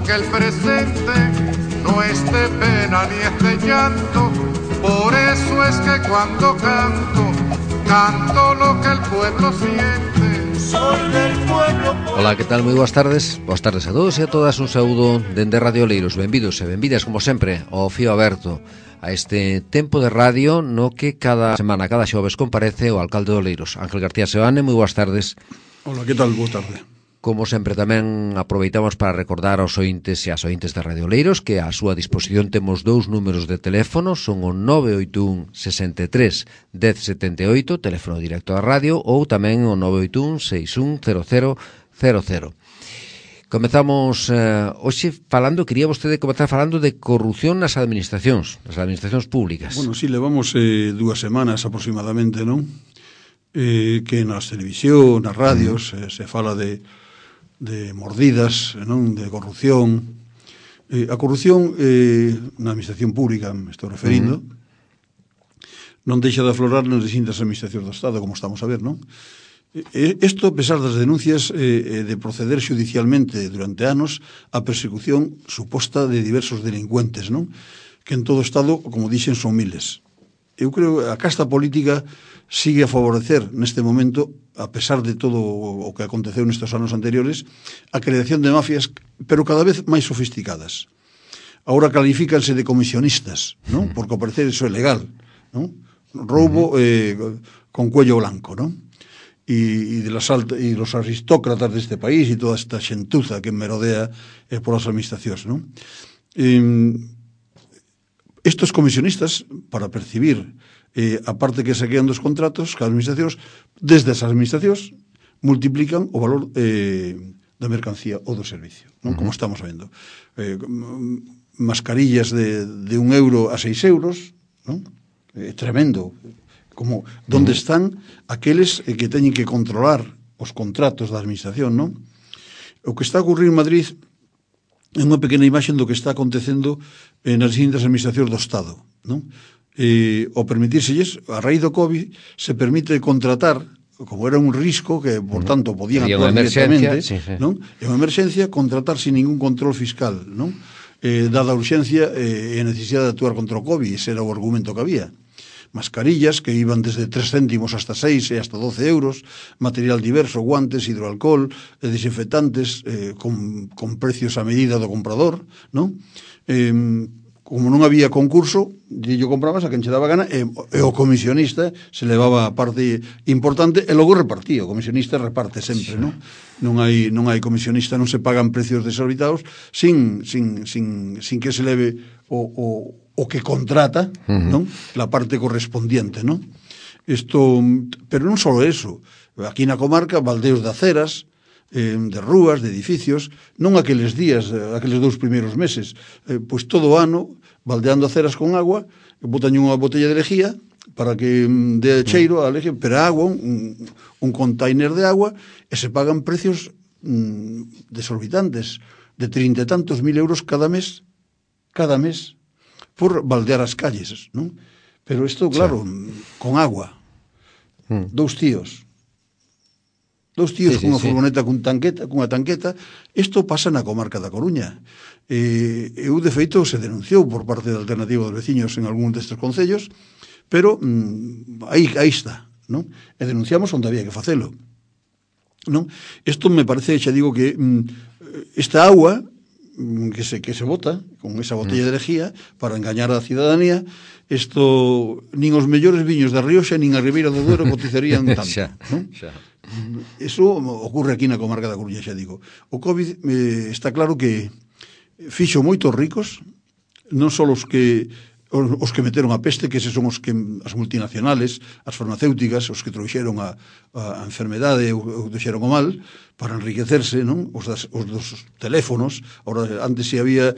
que el presente no es de pena ni es de llanto. Por eso es que cuando canto, canto lo que el pueblo siente. Soy del pueblo. Ola, que tal? Moi boas tardes. Boas tardes a todos e a todas. Un saúdo dende Radio Oleiros. Benvidos e benvidas, como sempre, ao Fío Aberto, a este tempo de radio no que cada semana, cada xoves, comparece o alcalde de Oleiros, Ángel García Seoane. Moi boas tardes. Hola, que tal? Boa tarde. Como sempre, tamén aproveitamos para recordar aos ointes e as ointes de Radio Oleiros que a súa disposición temos dous números de teléfono, son o 981 63 1078, teléfono directo da radio, ou tamén o 981 610000. Comezamos hoxe falando, quería vostede comezar falando de corrupción nas administracións públicas. Bueno, sí, levamos 2 semanas aproximadamente, non? Que nas televisión, nas radios, se fala de mordidas, non? De corrupción. A corrupción na administración pública, me estou referindo, non deixa de aflorar nas distintas administracións do Estado, como estamos a ver, non? Isto, a pesar das denuncias de proceder judicialmente durante anos a persecución suposta de diversos delincuentes, non? Que en todo o Estado, como dixen, son miles. Eu creo que a casta política sigue a favorecer neste momento, a pesar de todo o que aconteceu nestes anos anteriores, a creación de mafias, pero cada vez máis sofisticadas. Agora califícanse de comisionistas, non? Porque ao parecer iso é legal, non? Roubo con cuello blanco, non? E los aristócratas deste país e toda esta xentuza que merodea por as administracións, non? Estos comisionistas, para percibir a parte que saquean dos contratos, cada administracións, desde as administracións, multiplican o valor da mercancía ou do servicio, non? Como estamos vendo. Mascarillas de 1 euro a 6 euros, non? Tremendo. Como, donde están aqueles que teñen que controlar os contratos da administración, non? O que está a ocurrir en Madrid é unha pequena imaxe do que está acontecendo nas distintas administracións do Estado, non? Ao permitírselles, a raíz do COVID, se permite contratar, como era un risco, que, por tanto, podían actuar directamente, non? É unha emerxencia, contratar sin ningún control fiscal, non? Dada a urxencia e a necesidade de actuar contra o COVID, ese era o argumento que había. Mascarillas que iban desde 3 céntimos hasta 6 e hasta 12 euros, material diverso, guantes, hidroalcohol, desinfectantes, con precios a medida do comprador, non? Como non había concurso, yo comprabas a quen che daba gana e o comisionista se levaba a parte importante e logo repartía. O comisionista reparte sempre, non? Non hai comisionista, non se pagan precios desorbitados sin que se leve o que contrata, non? La parte correspondiente, non? Pero non só eso. Aquí na comarca, baldeos de aceras, de rúas, de edificios, non aqueles días, aqueles 2 primeiros meses, pois todo o ano, baldeando aceras con agua, botan unha botella de lejía para que dé cheiro a lejía, pero a agua, un container de agua, e se pagan precios desorbitantes, de 30 e tantos mil euros cada mes, por baldear as calles, non? Pero isto, claro, con agua, 2 tíos cunha furgoneta cunha tanqueta, isto pasa na comarca da Coruña. Eu, de feito, se denunciou por parte da Alternativa dos Veciños en algún destes concellos, pero aí está, non? E denunciamos onde había que facelo, non? Isto me parece, xa digo, que esta agua que se bota con esa botella de lejía para engañar a cidadanía, isto nin os mellores viños da Rioxa nin a Ribeira do Duero cotizarían tanto, non? Eso ocurre aquí na comarca da Coruña, xa digo. O COVID está claro que fixo moitos ricos, non só os que meteron a peste, que eses son as multinacionales, as farmacéuticas, os que trouxeron a enfermedade ou deixeron o mal para enriquecerse, non? Os dos teléfonos. Ahora, antes se había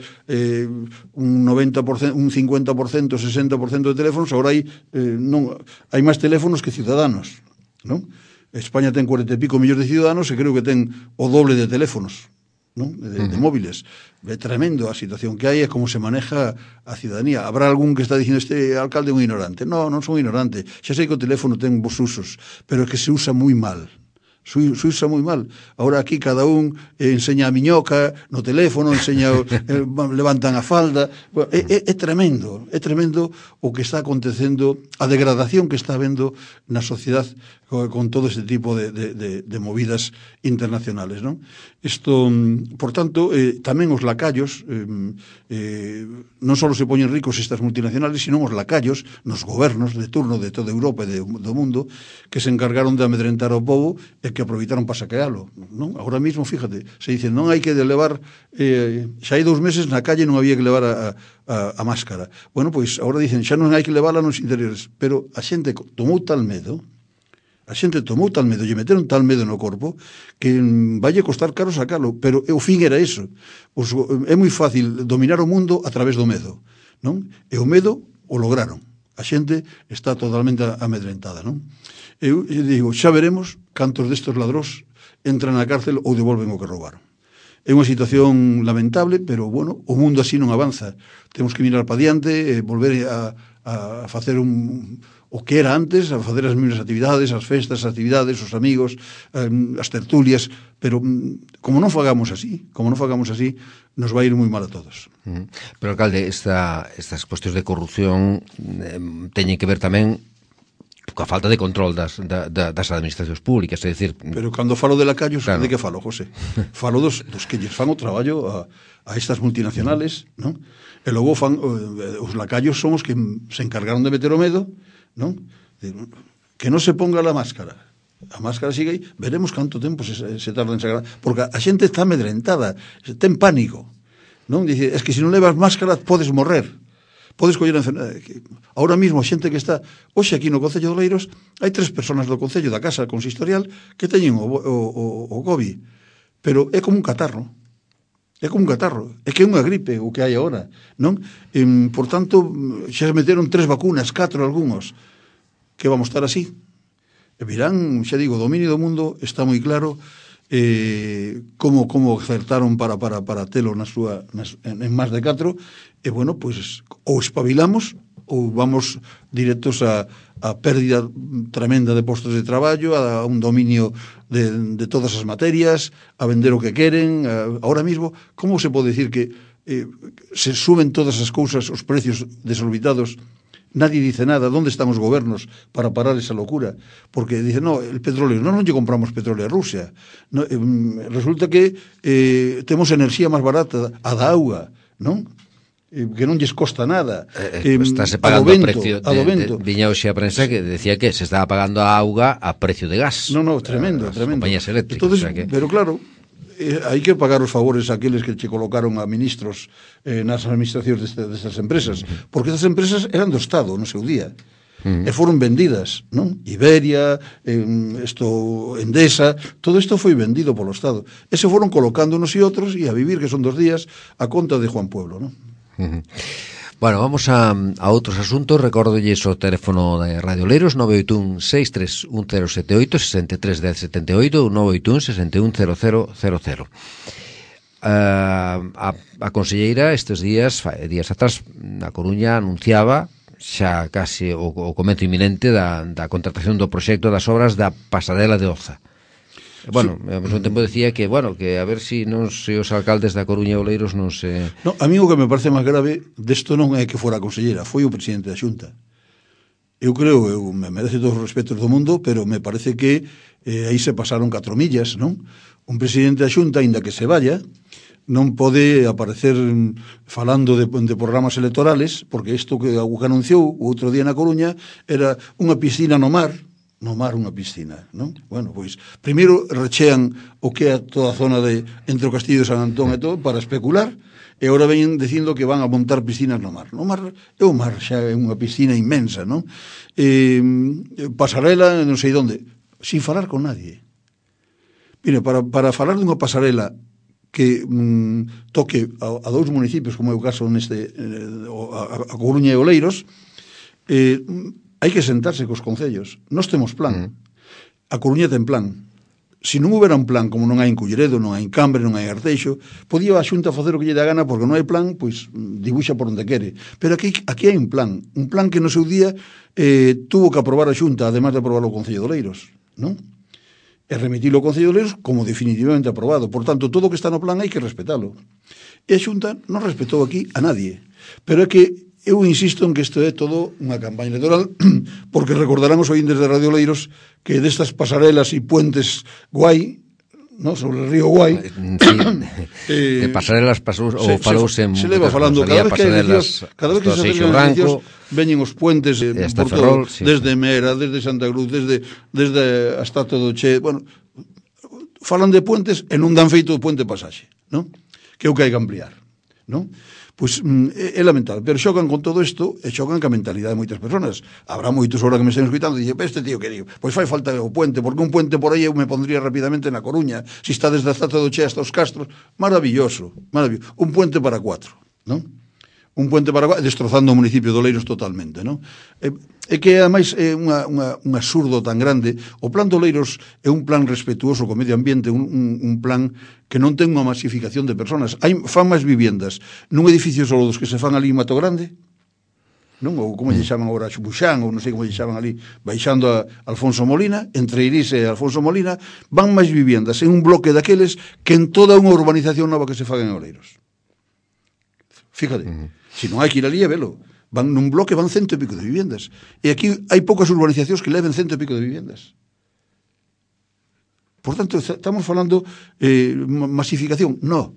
un 90%, un 50%, 60% de teléfonos, agora hai máis teléfonos que ciudadanos, non? España ten 40 e pico millóns de ciudadanos e creo que ten o doble de teléfonos, non? De móviles. É tremendo a situación que hai e como se maneja a ciudadanía. Habrá algún que está dicindo este alcalde é un ignorante. Non son ignorante. Xa sei que o teléfono ten vos usos, pero é que se usa moi mal. Suíza moi mal. Ahora aquí cada un enseña a miñoca no teléfono, levantan a falda. É tremendo o que está acontecendo, a degradación que está habendo na sociedade con todo este tipo de movidas internacionales, non? Isto, por tanto, tamén os lacayos non só se poñen ricos estas multinacionales, sino os lacayos nos gobernos de turno de toda Europa e do mundo que se encargaron de amedrentar ao povo e que aproveitaron para saquealo, non? Agora mesmo, fíjate, se dicen non hai que levar xa hai 2 meses na calle non había que levar a máscara. Bueno, pois agora dicen xa non hai que levarla nos interiores, pero a xente tomou tal medo, lle meteron tal medo no corpo que valle costar caro sacalo, pero o fin era eso. É moi fácil dominar o mundo a través do medo, non? E o medo o lograron. A xente está totalmente amedrentada, non? Eu digo, xa veremos cantos destes ladróns entran na cárcel ou devolven o que roubaron. É unha situación lamentable, pero, bueno, o mundo así non avanza. Temos que mirar para diante, volver a facer o que era antes, a facer as mesmas actividades, as festas, as actividades, os amigos, as tertulias, pero como non fagamos así, nos vai ir moi mal a todos. Pero, alcalde, estas cuestións de corrupción teñen que ver tamén coa falta de control das administracións públicas, é dicir... Pero cando falo de lacayos, claro. De que falo, José? Falo dos que lles fan o traballo a estas multinacionales, non? E logo os lacayos son os que se encargaron de meter o medo, non? Que non se ponga a máscara sigue aí, veremos canto tempo se tarda en sacar, porque a xente está amedrentada, ten pánico, non? Dice, es que se non levas máscara podes morrer, podes coller a enfermedade. Ahora mesmo a xente que está hoxe aquí no Concello de Oleiros, hai 3 personas do Concello da Casa Consistorial que teñen o COVID, pero é como un catarro. É que é unha gripe o que hai agora, non? Por tanto, xa se meteron 3 vacunas, 4 algúns, que vamos estar así. E virán, xa digo, o dominio do mundo está moi claro, como acertaron para telo en máis de 4, e bueno, pois ou espabilamos ou vamos directos a pérdida tremenda de postos de traballo, a un dominio de todas as materias, a vender o que queren. Ahora mismo, como se pode decir que se suben todas as cousas, os precios desorbitados? Nadie dice nada. ¿Dónde están os gobernos para parar esa locura? Porque dicen, no, el petróleo, non lle compramos petróleo a Rusia. No, resulta que temos enerxía máis barata, a da auga, non? Que non lles costa nada. Estáse pagando a precio viña hoxe a prensa que decía que se estaba pagando a auga a precio de gas. No, tremendo. Compañías eléctricas. Entonces, o sea que... Pero claro, hai que pagar os favores a aqueles que che colocaron a ministros nas administracións destas empresas, porque estas empresas eran do Estado no seu día, e foron vendidas, non? Iberia, Endesa, todo isto foi vendido polo Estado, e se foron colocando unos e outros, e a vivir, que son 2 días, a conta de Juan Pueblo, non? Bueno, vamos a outros asuntos. Recórdolles o teléfono de Radio Oleiros 981-631-078 63-1078 ou 981-610000. A conselleira estes días atrás na Coruña anunciaba xa case o comenzo inminente da contratación do proxecto das obras da pasarela de Oza. Bueno, ao mesmo tempo decía que, bueno, que a ver se os alcaldes da Coruña e Oleiros non se... No, a mí o que me parece máis grave desto non é que fora a conselleira, foi o presidente da Xunta. Eu creo, me merece todos os respetos do mundo, pero me parece que aí se pasaron 4 millas, non? Un presidente da Xunta, aínda que se vaya, non pode aparecer falando de programas electorales, porque isto que anunciou o outro día na Coruña era unha piscina no mar unha piscina, non? Bueno, pois, primeiro rechean o que é toda a zona entre o Castillo de San Antón e todo para especular, e agora veñen dicindo que van a montar piscinas no mar. No mar é o mar, xa é unha piscina inmensa, non? Pasarela, non sei onde, sin falar con nadie. Mira, para falar dunha pasarela que toque a 2 municipios, como é o caso neste a Coruña e Oleiros, hai que sentarse cos concellos. Nós temos plan. A Coruña ten plan. Se non houbera un plan, como non hai en Culleredo, non hai en Cambre, non hai en Arteixo, podía a Xunta facer o que lle dá gana, porque non hai plan, pois dibuxa por onde quere. Pero aquí hai un plan que no seu día tuvo que aprobar a Xunta, además de aprobar o Concello de Oleiros, non? e remitilo ao Concello de Oleiros como definitivamente aprobado. Por tanto, todo o que está no plan hai que respetalo. E a Xunta non respetou aquí a nadie. Pero é que eu insisto en que isto é todo unha campaña electoral, porque recordarán os ointes de Radio Oleiros que destas pasarelas e puentes guai, no, sobre o río Guai, de pasarelas falouse se leva falando cada vez que se celebran eleccións, veñen os puentes por todo, desde Mera, desde Santa Cruz, desde hasta todo Che, bueno, falan de puentes e non dan feito o puente pasaxe, non? Que é o que hai que ampliar, non? Pois é lamentable, pero xogan con todo isto e xogan ca mentalidade de moitas persoas. Habrá moitos ahora que me estén escuitando e dicen, este tío que digo, pois fai falta o puente, porque un puente por aí eu me pondría rapidamente na Coruña, si está desde a Zata do Che hasta os Castros, maravilloso, maravilloso. Un puente para 4, non? Un puente para 4, destrozando o municipio de Oleiros totalmente, non? É que ademais é un absurdo tan grande. O plan de Oleiros é un plan respetuoso co medio ambiente, un plan que non ten unha masificación de personas. Fan máis viviendas nun edificio solo dos que se fan ali en Mato Grande, non? Ou como lle chaman agora, Xubuxán, ou non sei como lle chaman ali, baixando a Alfonso Molina, entre Iris e Alfonso Molina, van máis viviendas en un bloque daqueles que en toda unha urbanización nova que se faga en Oleiros. Fíjate, se non hai que ir ali e velo. Van nun bloque, van 100 e pico de viviendas. E aquí hai poucas urbanizacións que leven 100 e pico de viviendas. Por tanto, estamos falando masificación. Non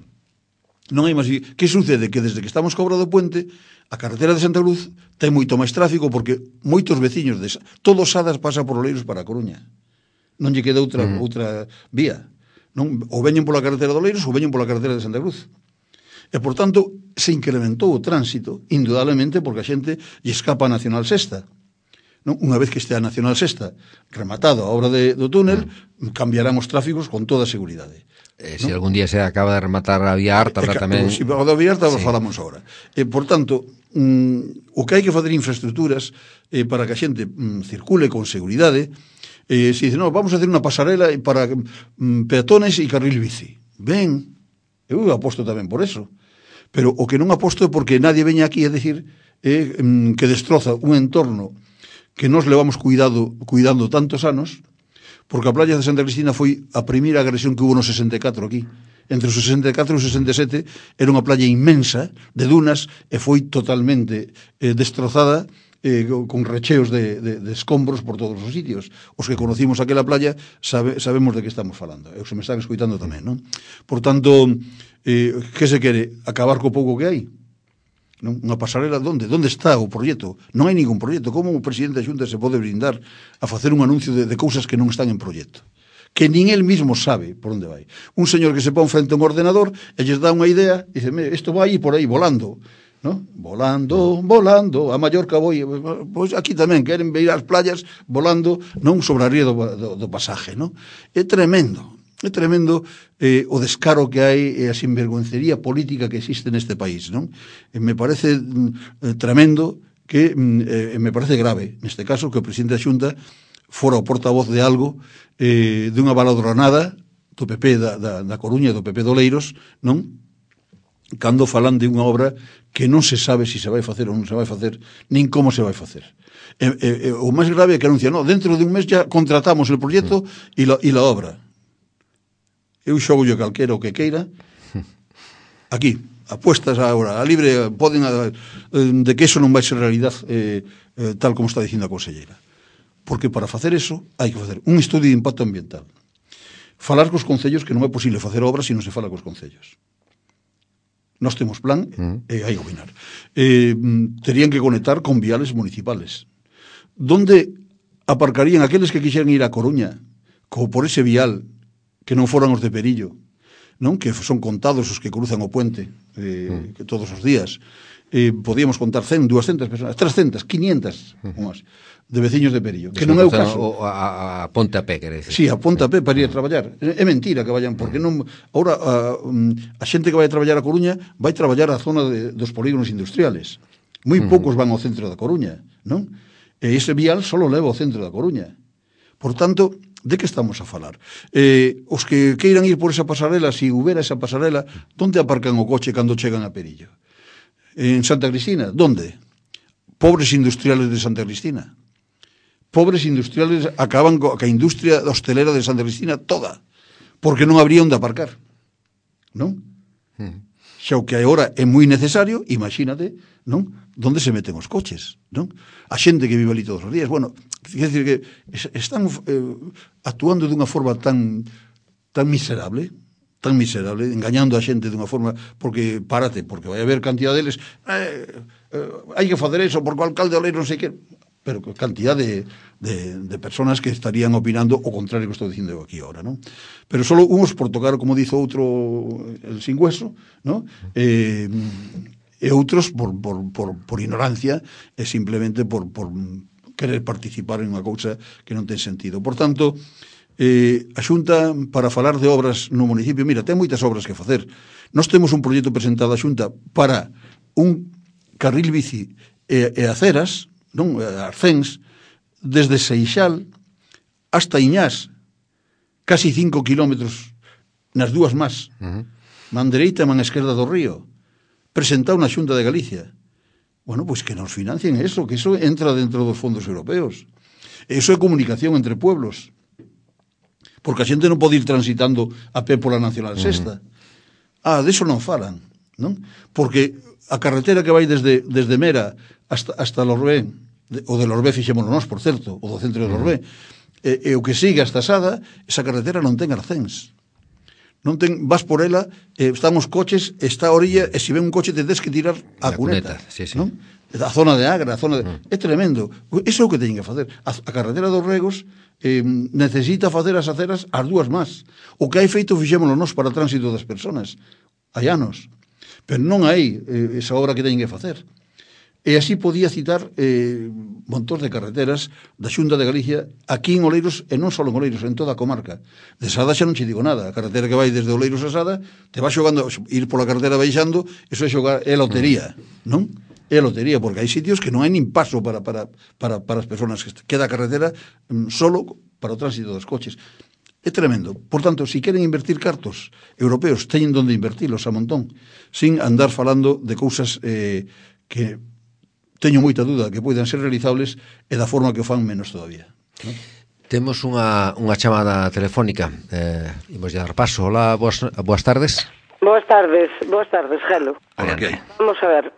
hai masificación. Que sucede? Que desde que estamos cobrado o puente, a carretera de Santa Cruz ten moito máis tráfico porque moitos veciños todos Sadas pasa por Oleiros para a Coruña. Non lle queda outra vía. Non? Ou veñen pola carretera de Oleiros ou veñen pola carretera de Santa Cruz. E, por tanto, se incrementou o tránsito, indudablemente, porque a xente lle escapa a Nacional Sexta. Non? Unha vez que este a Nacional Sexta rematada a obra do túnel, cambiarán os tráficos con toda a seguridade. Se algún día se acaba de rematar a Vía Arta, tamén... Se acaba a Vía Arta, falamos agora. Por tanto, o que hai que facer infraestructuras para que a xente circule con seguridade, se dice, no, vamos a hacer unha pasarela para peatones e carril bici. Ben, eu aposto tamén por eso. Pero o que non aposto é porque nadie veña aquí a decir que destroza un entorno que nos levamos cuidando tantos anos, porque a playa de Santa Cristina foi a primeira agresión que hubo no 64 aquí. Entre o 64 e o 67 era unha playa inmensa de dunas e foi totalmente destrozada con recheos de escombros por todos os sitios. Os que conocimos aquela playa sabemos de que estamos falando. E os que me están escoitando tamén, non? Por tanto, que se quere? Acabar co pouco que hai? Non? Unha pasarela, onde? Onde está o proxecto? Non hai ningún proxecto. Como o presidente da Xunta se pode brindar a facer un anuncio de cousas que non están en proxecto? Que nin el mismo sabe por onde vai. Un señor que se pon frente a un ordenador e lles dá unha idea e dice, isto vai por aí volando, ¿no? Volando, a Mallorca voi, pois aquí tamén queren ver as playas volando, non sobre a ría do pasaje, non? É tremendo o descaro que hai e a sinvergüencería política que existe neste país, non? Me parece tremendo que me parece grave, neste caso, que o presidente da Xunta fora o portavoz de algo dunha baladronada do PP da Coruña, do PP de Oleiros, non? Cando falan de unha obra que non se sabe se vai facer ou non se vai facer, nin como se vai facer. O máis grave é que anuncia, dentro de un mes ya contratamos el proxecto e la obra. Eu xogo yo calquera o que queira. Aquí, apuestas agora, a libre, poden de que eso non vai ser realidade tal como está dicindo a conselleira. Porque para facer eso hai que facer un estudio de impacto ambiental. Falar cos concellos, que non é posible facer obras se non se fala cos concellos. Nós temos plan e hai que opinar. Terían que conectar con viales municipales. Donde aparcarían aqueles que quixeran ir a Coruña por ese vial que non foran os de Perillo, non? Que son contados os que cruzan o puente que todos os días. Podíamos contar 100, 200 personas, 300, 500 de veciños de Perillo, que non é o caso. A Ponte a Pé, quere dizer. Sí, a Ponte a Pé para ir a traballar. É mentira que vayan, porque non. Ahora, a xente que vai a traballar a Coruña vai traballar a zona dos polígonos industriales. Moi poucos van ao centro da Coruña, non? E ese vial só leva ao centro da Coruña. Por tanto, de que estamos a falar? Os que queiran ir por esa pasarela, se houbera esa pasarela, onde aparcan o coche cando chegan a Perillo? En Santa Cristina, onde? Pobres industriales de Santa Cristina. pobres industriales acaban ca industria hostelera de Santa Cristina toda, porque non habría onde aparcar, non? Xa o que agora é moi necesario, imagínate, non? Donde se meten os coches, non? A xente que vive ali todos os días. Bueno, quer dizer que están actuando dunha forma tan miserable, engañando a xente dunha forma, porque vai haber cantidad deles, hai que facer eso, porque o alcalde Oleiro non sei que, pero cantidad de personas que estarían opinando o contrario que estou dicindo aquí ahora, non? Pero solo uns por tocar, como dizo outro, el sin hueso, non? E outros por ignorancia e simplemente por querer participar en unha cousa que non ten sentido. Por tanto, a Xunta, para falar de obras no municipio, mira, ten moitas obras que facer. Nós temos un proxecto presentado á Xunta para un carril bici e aceras, non, Arcens, desde Seixal hasta Iñás, casi 5 kilómetros nas dúas más, man dereita e man esquerda do río, presentado na Xunta de Galicia. Bueno, pois que nos financien eso, que eso entra dentro dos fondos europeos. Eso é comunicación entre pueblos, porque a xente non pode ir transitando a pé pola Nacional Sexta. Deso non falan, non? Porque a carretera que vai desde Mera hasta Lorbé, o de Lorbé fixémonos nós, por certo, o do centro de Lorbé, e o que sigue hasta Sada, esa carretera non ten arcéns. Non ten, vas por ela, están os coches, está a orilla, e se ven un coche te tens que tirar a cuneta, sí, sí. Non? A zona de Agra, a zona de... É tremendo. Iso é o que teñen que facer. A carretera dos Regos necesita facer as aceras as dúas más. O que hai feito fixémonos nós para o tránsito das persoas. Hai anos. Pero non hai esa obra que teñen que facer. E así podía citar montón de carreteras da Xunta de Galicia aquí en Oleiros, e non só en Oleiros, en toda a comarca. De Sada xa non che digo nada. A carretera que vai desde Oleiros a Sada te vai xogando, ir pola carretera baixando, eso é xogar, é lotería, non? É lotería, porque hai sitios que non hai nin paso para as persoas, que queda a carretera solo para o tránsito dos coches. É tremendo. Por tanto, se queren invertir cartos europeos, teñen donde invertilos a montón, sin andar falando de cousas que teño moita dúda que poidan ser realizables e da forma que o fan menos todavía, non? Temos unha chamada telefónica, imos dar paso. Hola, boas tardes. Boas tardes, Gelo. Hola, que hai? Vamos a ver,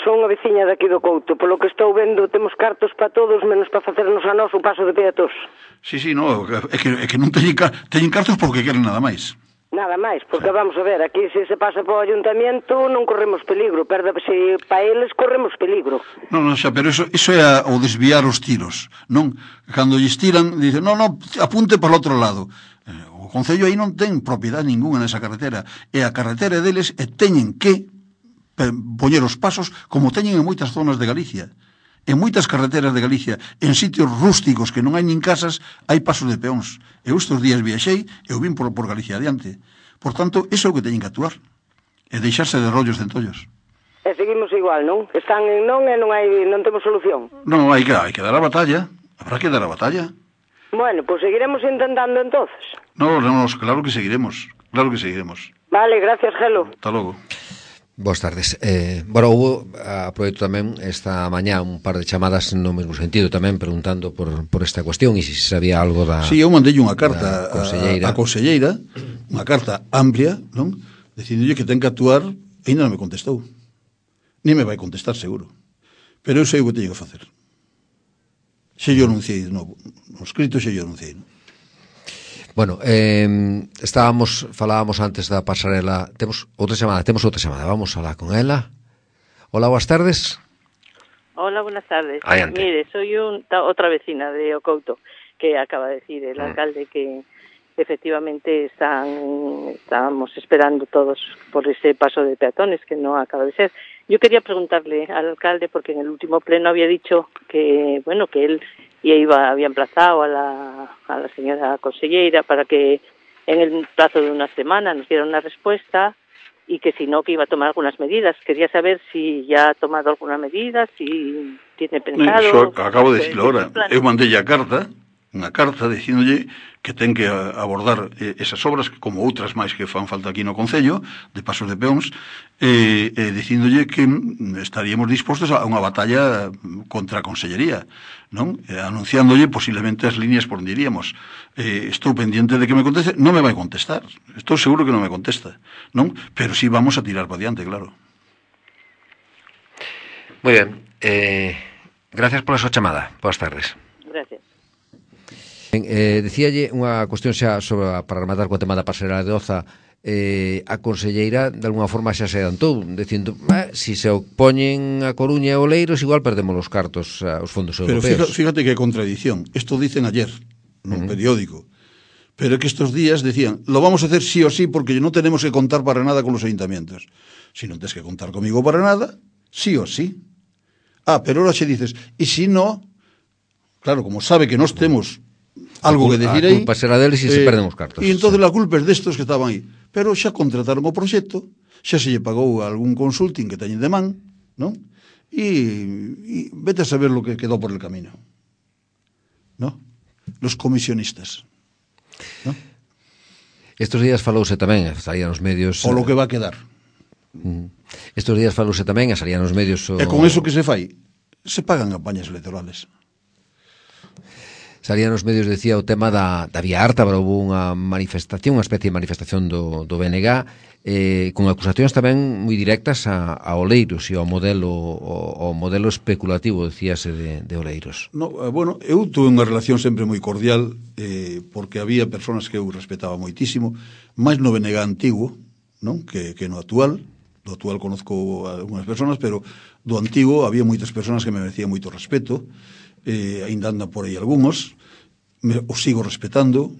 son unha veciña daqui do Couto. Polo que estou vendo, temos cartos para todos, menos para facernos a nós o paso de peatós. Sí, no, é que non teñen cartos porque queren nada máis. Nada máis, porque vamos a ver, aquí se pasa para o ayuntamiento non corremos peligro, se para eles corremos peligro. Non, xa, pero iso é o desviar os tiros, non? Cando lles tiran, dicen, non, apunte para o outro lado. O Concello aí non ten propiedade ninguna nesa carretera, e a carretera deles teñen que poñer os pasos como teñen en moitas zonas de Galicia. En moitas carreteras de Galicia, en sitios rústicos que non hai nin casas, hai pasos de peóns. Eu estes días viaxei e eu vim por Galicia adiante. Por tanto, iso é o que teñen que actuar. E deixarse de rollos de entollos. E seguimos igual, non? Están en non e non temos solución. Non, hai que dar a batalla. Habrá que dar a batalla. Bueno, pues seguiremos intentando entonces. No, claro que seguiremos. Claro que seguiremos. Vale, gracias, Gelo. Hasta logo. Boas tardes. Hubo, aproveito tamén esta mañá un par de chamadas no mesmo sentido tamén, preguntando por esta cuestión e se sabía algo da... Sí, eu mandei unha carta a conselleira, unha carta amplia, non? Dicindo que ten que actuar, e ainda non me contestou. Ni me vai contestar, seguro. Pero eu sei o que teño que facer. Xe yo anunciei de novo. No escrito xe yo anunciei, non? Bueno, falábamos antes da pasarela. Temos outra chamada, vamos alá con ela. Hola, boas tardes. Hola, buenas tardes. Adiante. Mire, soy otra vecina de Ocouto, que acaba de decir el alcalde que efectivamente estábamos esperando todos por ese paso de peatones que no acaba de ser. Yo quería preguntarle al alcalde, porque en el último pleno había dicho que, bueno, que él había emplazado a la señora conselleira para que en el plazo de una semana nos diera una respuesta y que si no, que iba a tomar algunas medidas. Quería saber si ya ha tomado alguna medida, si tiene pensado... Acabo de decirlo ahora. Eu mandei a carta unha carta dicíndolle que ten que abordar esas obras, como outras máis que fan falta aquí no Concello, de pasos de peóns, dicíndolle que estaríamos dispostos a unha batalla contra a Consellería, non? Anunciándolle posiblemente as líneas por onde iríamos. Estou pendiente de que me conteste. Non me vai contestar, estou seguro que non me contesta, non? Pero sí vamos a tirar para diante, claro. Moi ben, gracias pola súa chamada. Boas tardes. Gracias. Decíalle unha cuestión xa para rematar co tema da pasarela de Oza. A conselleira de alguna forma xa se adelantou dicindo, si se opoñen a Coruña e Oleiros igual perdemos os cartos aos fondos europeos. Pero fíjate que contradición. Esto dicen ayer nun periódico, pero que estos días decían, lo vamos a hacer sí o sí porque no tenemos que contar para nada con los ayuntamientos. Si non tens que contar comigo para nada, sí o sí. Pero ahora se dices, e si no, claro, como sabe que nos temos algo que decir aí, a culpa será deles e se perden os cartos. E entonces a culpa é destos que estaban aí. Pero xa contrataron o proxecto, xa se lle pagou algún consulting que teñen de man, non? E vete a saber lo que quedó por el camino, ¿no? Los comisionistas, ¿no? Estos días falouse tamén, salía nos medios... O lo que va a quedar. Estos días falouse tamén, salía nos medios... E con eso que se fai, se pagan campañas electorales. Salía nos medios, decía, o tema da Vía Ártabra, houve unha manifestación, unha especie de manifestación do BNG, con acusacións tamén moi directas a Oleiros e ao modelo especulativo, decíase, de Oleiros. No, bueno, eu tuve unha relación sempre moi cordial, porque había persoas que eu respetaba moitísimo, máis no BNG antigo, non? Que no actual. Do actual conozco algunhas persoas, pero do antigo había moitas persoas que me merecían moito respeto, ainda andan por aí algúns, os sigo respetando.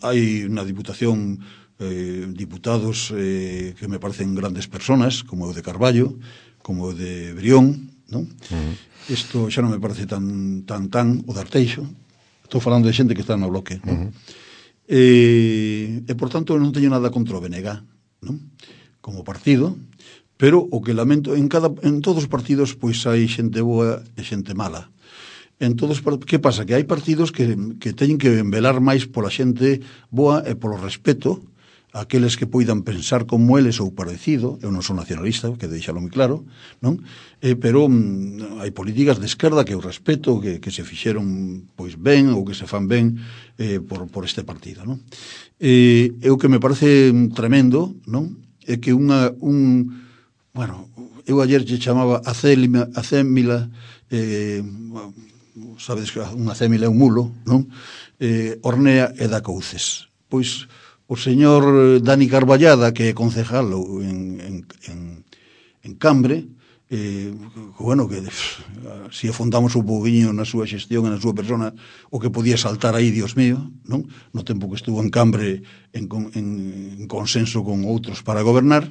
Hai na Diputación diputados que me parecen grandes personas, como o de Carballo, como o de Brión, non? Isto xa non me parece tan o de Arteixo. Estou falando de xente que está no bloque, non? E por tanto non teño nada contra o BNG, non? Como partido, pero o que lamento en todos os partidos pois hai xente boa e xente mala. Que pasa? Que hai partidos que teñen que velar máis pola xente boa e polo respeto a aqueles que poidan pensar como eles ou parecido. Eu non sou nacionalista, que deixalo moi claro, non? Pero hai políticas de esquerda que eu respeto, que se fixeron pois ben ou que se fan ben por este partido, non? O que me parece tremendo, non? É que bueno, eu ayer lle chamaba acémila, sabedes que unha acémila é un mulo, non? Hornea e dá couces. Pois o señor Dani Carballada, que é concejal en Cambre, bueno, que se afondamos un pouquinho na súa xestión e na súa persona, o que podía saltar aí, Dios mío, non? No tempo que estuvo en Cambre en consenso con outros para gobernar,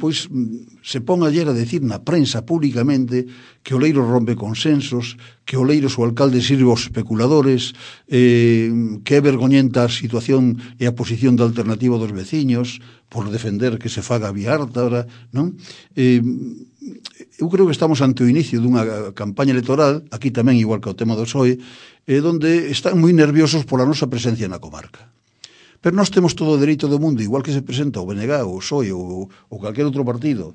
pois se pon ayer a decir na prensa públicamente que Oleiros rompe consensos, que Oleiros o alcalde sirve aos especuladores, que é vergoñenta a situación e a posición da alternativa dos veciños por defender que se faga a Vía Ártabra, non? Eu creo que estamos ante o inicio dunha campaña electoral, aquí tamén igual que o tema do PSOE, donde están moi nerviosos pola nosa presencia na comarca. Pero nós temos todo o dereito do mundo, igual que se presenta o BNG, o PSOE ou calquer outro partido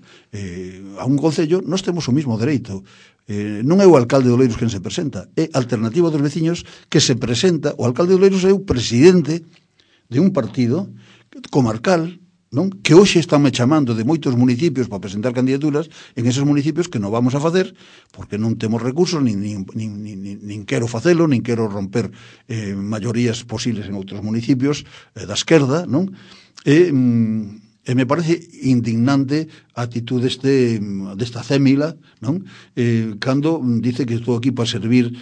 a un concello, nós temos o mismo dereito. Non é o alcalde de Oleiros quen se presenta, é a alternativa dos veciños que se presenta. O alcalde de Oleiros é o presidente de un partido comarcal, non? Que hoxe estánme chamando de moitos municipios para presentar candidaturas en esos municipios que non vamos a facer porque non temos recursos, nin quero facelo, nin quero romper maiorías posibles en outros municipios da esquerda, non? E me parece indignante a actitude desta cémila, non? Cando dice que estou aquí para servir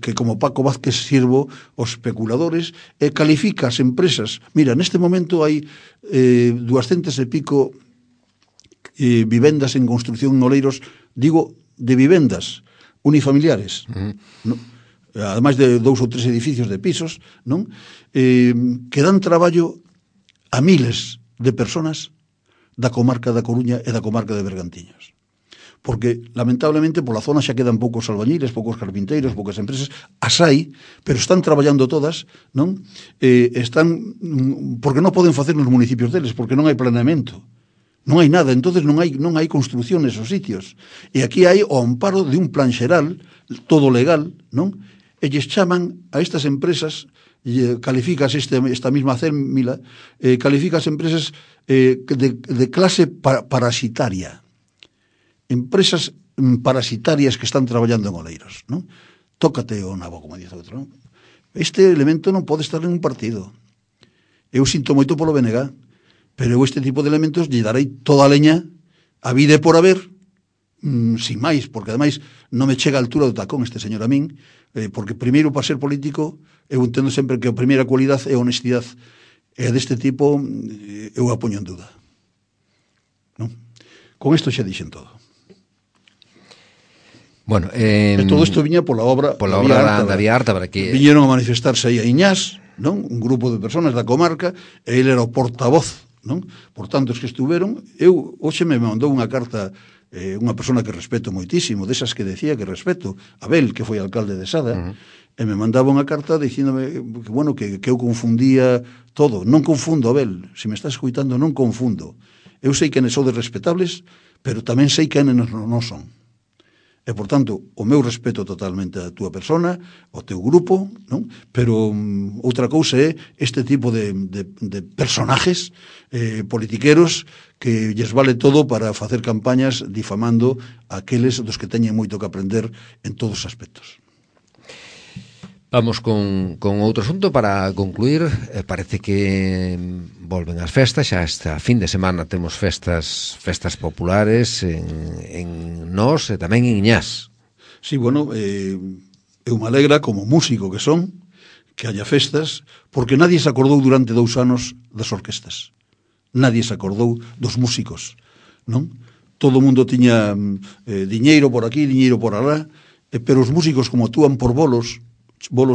que como Paco Vázquez sirvo os especuladores, e califica as empresas. Mira, neste momento hai 200 e pico vivendas en construcción en Oleiros, digo, de vivendas unifamiliares, non? Ademais de 2 ou 3 edificios de pisos, non? Que dan traballo a miles de personas da comarca da Coruña e da comarca de Bergantiños. porque lamentablemente pola zona xa quedan poucos albañiles, poucos carpinteiros, poucas empresas, as hai, pero están traballando todas, non? Están porque non poden facer nos municipios deles, porque non hai planeamento. Non hai nada, entonces non hai construción nesos sitios. E aquí hai o amparo de un plan xeral, todo legal, non? E lles chaman a estas empresas, califícase esta misma cémila, califica as empresas de clase parasitaria. Empresas parasitarias que están traballando en Oleiros, non? Tócate o nabo, como dice outro, non? Este elemento non pode estar en un partido. Eu sinto moito polo BNG, pero eu este tipo de elementos lle darei toda a leña a vida por haber, sin máis, porque ademais non me chega a altura do tacón este señor a min, porque primeiro para ser político eu entendo sempre que a primeira cualidade é a honestidade, e deste tipo eu a poño en duda, non? Con isto xa dixen todo. Bueno, e todo isto viña pola obra da Vía Ártabra, que viñeron a manifestarse aí a Iñás, non? Un grupo de personas da comarca, e ele era o portavoz, non? Por tanto, os que estuveron, eu hoxe me mandou unha carta unha persona que respeto moitísimo, desas que decía que respeto, Abel, que foi alcalde de Sada, e me mandaba unha carta dicíndome que, bueno, que eu confundía todo. Non confundo, Abel, se me estás escuitando, non confundo. Eu sei que sodes respetables, pero tamén sei que non son. E, por tanto, o meu respeto totalmente a túa persona, ao teu grupo, non? Pero outra cousa é este tipo de personajes politiqueros que lles vale todo para facer campañas difamando aqueles dos que teñen moito que aprender en todos os aspectos. Vamos con outro asunto para concluir. Parece que volven as festas, xa esta fin de semana temos festas populares en Nós e tamén en Iñás. Sí, bueno, eu me alegra como músico que son que haya festas, porque nadie se acordou durante 2 anos das orquestas. Nadie se acordou dos músicos, non? Todo o mundo tiña diñeiro por aquí, diñeiro por alá, pero os músicos como actúan por bolos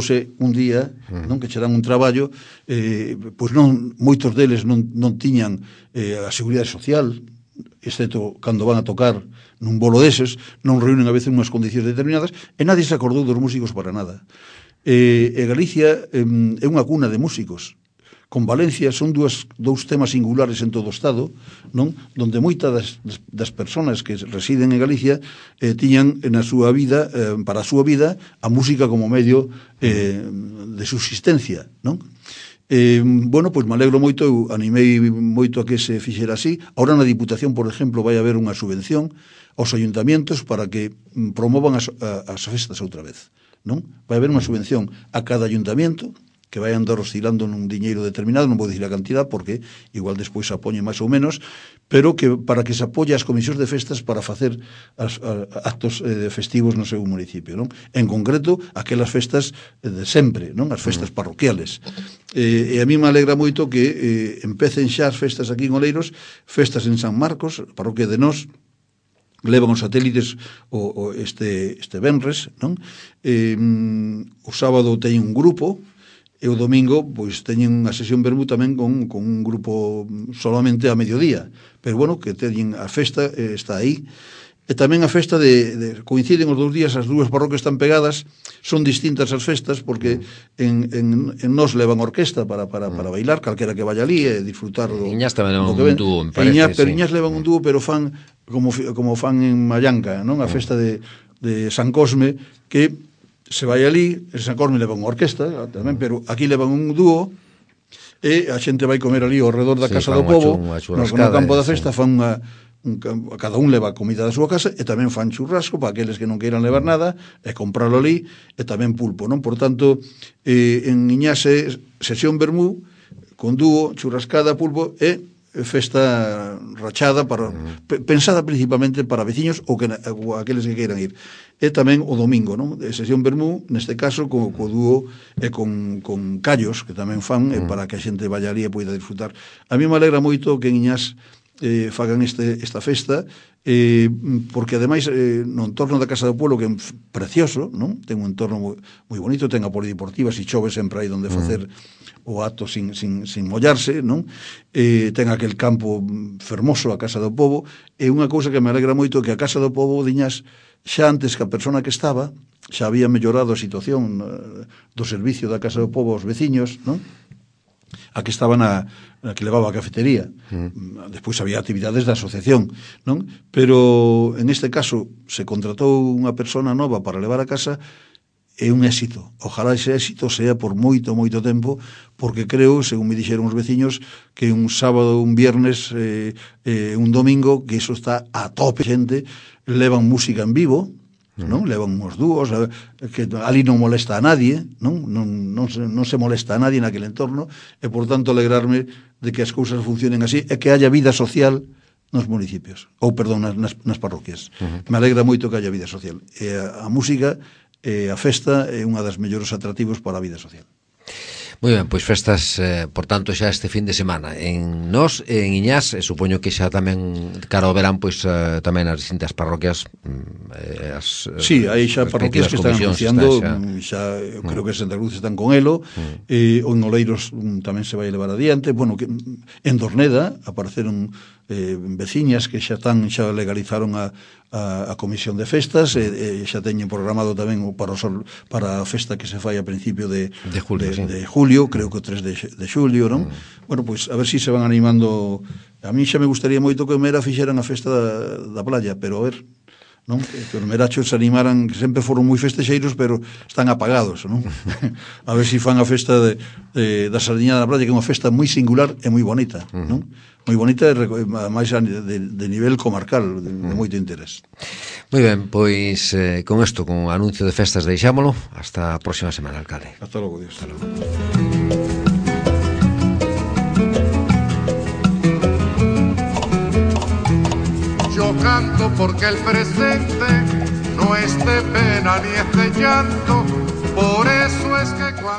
é un día, non, que che dan un traballo, pois non, moitos deles non tiñan a seguridade social, excepto cando van a tocar nun bolo deses, non reúnen a veces unhas condicións determinadas, e nadie se acordou dos músicos para nada. E Galicia é unha cuna de músicos. Con Valencia son dous temas singulares en todo o Estado, non? Donde moitas das persoas que residen en Galicia tiñan na súa vida, para a súa vida, a música como medio de subsistencia, non? Bueno, pois me alegro moito, eu animei moito a que se fixera así. Ahora na Diputación, por exemplo, vai haber unha subvención aos ayuntamientos para que promovan as festas outra vez, non? Vai haber unha subvención a cada ayuntamiento que vai andar oscilando nun diñeiro determinado, non vou dicir a cantidad porque igual despois se apoñe máis ou menos, pero que para que se apoie as comisións de festas para facer actos festivos no seu municipio, non? En concreto, aquelas festas de sempre, non? As festas parroquiales. E a mí me alegra moito que empecen xa as festas aquí en Oleiros, festas en San Marcos, parroquia de Nós, levan os satélites este venres, non? O sábado teñen un grupo, e o domingo pois teñen unha sesión vermú tamén con un grupo solamente a mediodía, pero bueno, que teñen a festa está aí, e tamén a festa coinciden os 2 días, as 2 parroquias están pegadas, son distintas as festas porque en Nós levan orquesta para bailar, calquera que vaya ali e disfrutar do Iñás tamén levan un dúo, me parece, pero Iñás levan un dúo, pero fan como fan en Mallanca, non? A festa de San Cosme, que se vai ali, en San Cosme levan unha orquesta tamén, pero aquí levan un dúo e a xente vai comer ali ao redor da casa do povo, no campo da festa, fan cada un leva comida da súa casa e tamén fan churrasco para aqueles que non queiran levar nada e comprarlo ali, e tamén pulpo, non? Por tanto, en Iñase sesión vermú con dúo, churrascada, pulpo e festa rachada pensada principalmente para veciños ou aqueles que queiran ir. E tamén o domingo, non? Sesión vermú, neste caso co dúo e con callos que tamén fan para que a xente vaya ali e poida disfrutar. A mí me alegra moito que en Iñás fagan esta festa, porque ademais no entorno da Casa do Pueblo, que é precioso, non? Ten un entorno moi bonito, ten a polideportiva, se chove sempre hai donde facer o ato sin mollarse, non? Ten aquel campo fermoso, a Casa do Pobo, e unha cousa que me alegra moito que a Casa do Pobo, diñas, xa antes que a persona que estaba, xa había mellorado a situación do servicio da Casa do Pobo aos veciños, non? A que estaba na que levaba a cafetería. Despois había actividades da asociación, non? Pero en este caso se contratou unha persona nova para levar a casa. É un éxito. Ojalá ese éxito sea por moito, moito tempo, porque creo, según me dixeron os veciños, que un sábado, un viernes, un domingo, que iso está a tope, xente, levan música en vivo, non? Levan uns dúos, que ali non molesta a nadie, non se molesta a nadie naquele entorno, e por tanto alegrarme de que as cousas funcionen así e que haya vida social nos municipios, ou perdón, nas parroquias. Me alegra moito que haya vida social. E a música e a festa é unha das mellores atractivos para a vida social. Moi ben, pois festas, por tanto, xa este fin de semana en Nós, en Iñás, supoño que xa tamén cara ao verán, pois tamén as distintas parroquias sí, hai xa parroquias que están anunciando xa creo que Santa Cruz están con elo, o en Oleiros tamén se vai levar adiante, bueno, que en Dorneda apareceron veciñas que xa legalizaron a comisión de festas e xa teñen programado tamén para a festa que se fai a principio de julio, creo que o 3 de xulio, non? Bueno, pois a ver si se van animando. A mí xa me gustaría moito que o Mera fixeran a festa da playa, pero a ver, non? Que os merachos se animaran, que sempre foron moi festexeiros, pero están apagados, non? A ver si fan a festa da Sardiñada da Playa, que é unha festa moi singular e moi bonita, non? Moi bonita, máis de nivel comarcal, de moito interés. Moi ben, pois con isto, con o anuncio de festas, deixámolo. Hasta a próxima semana, alcalde. Hasta logo, Dios. Hasta logo. Yo canto porque el presente no es de pena ni es de llanto, por eso es que cuando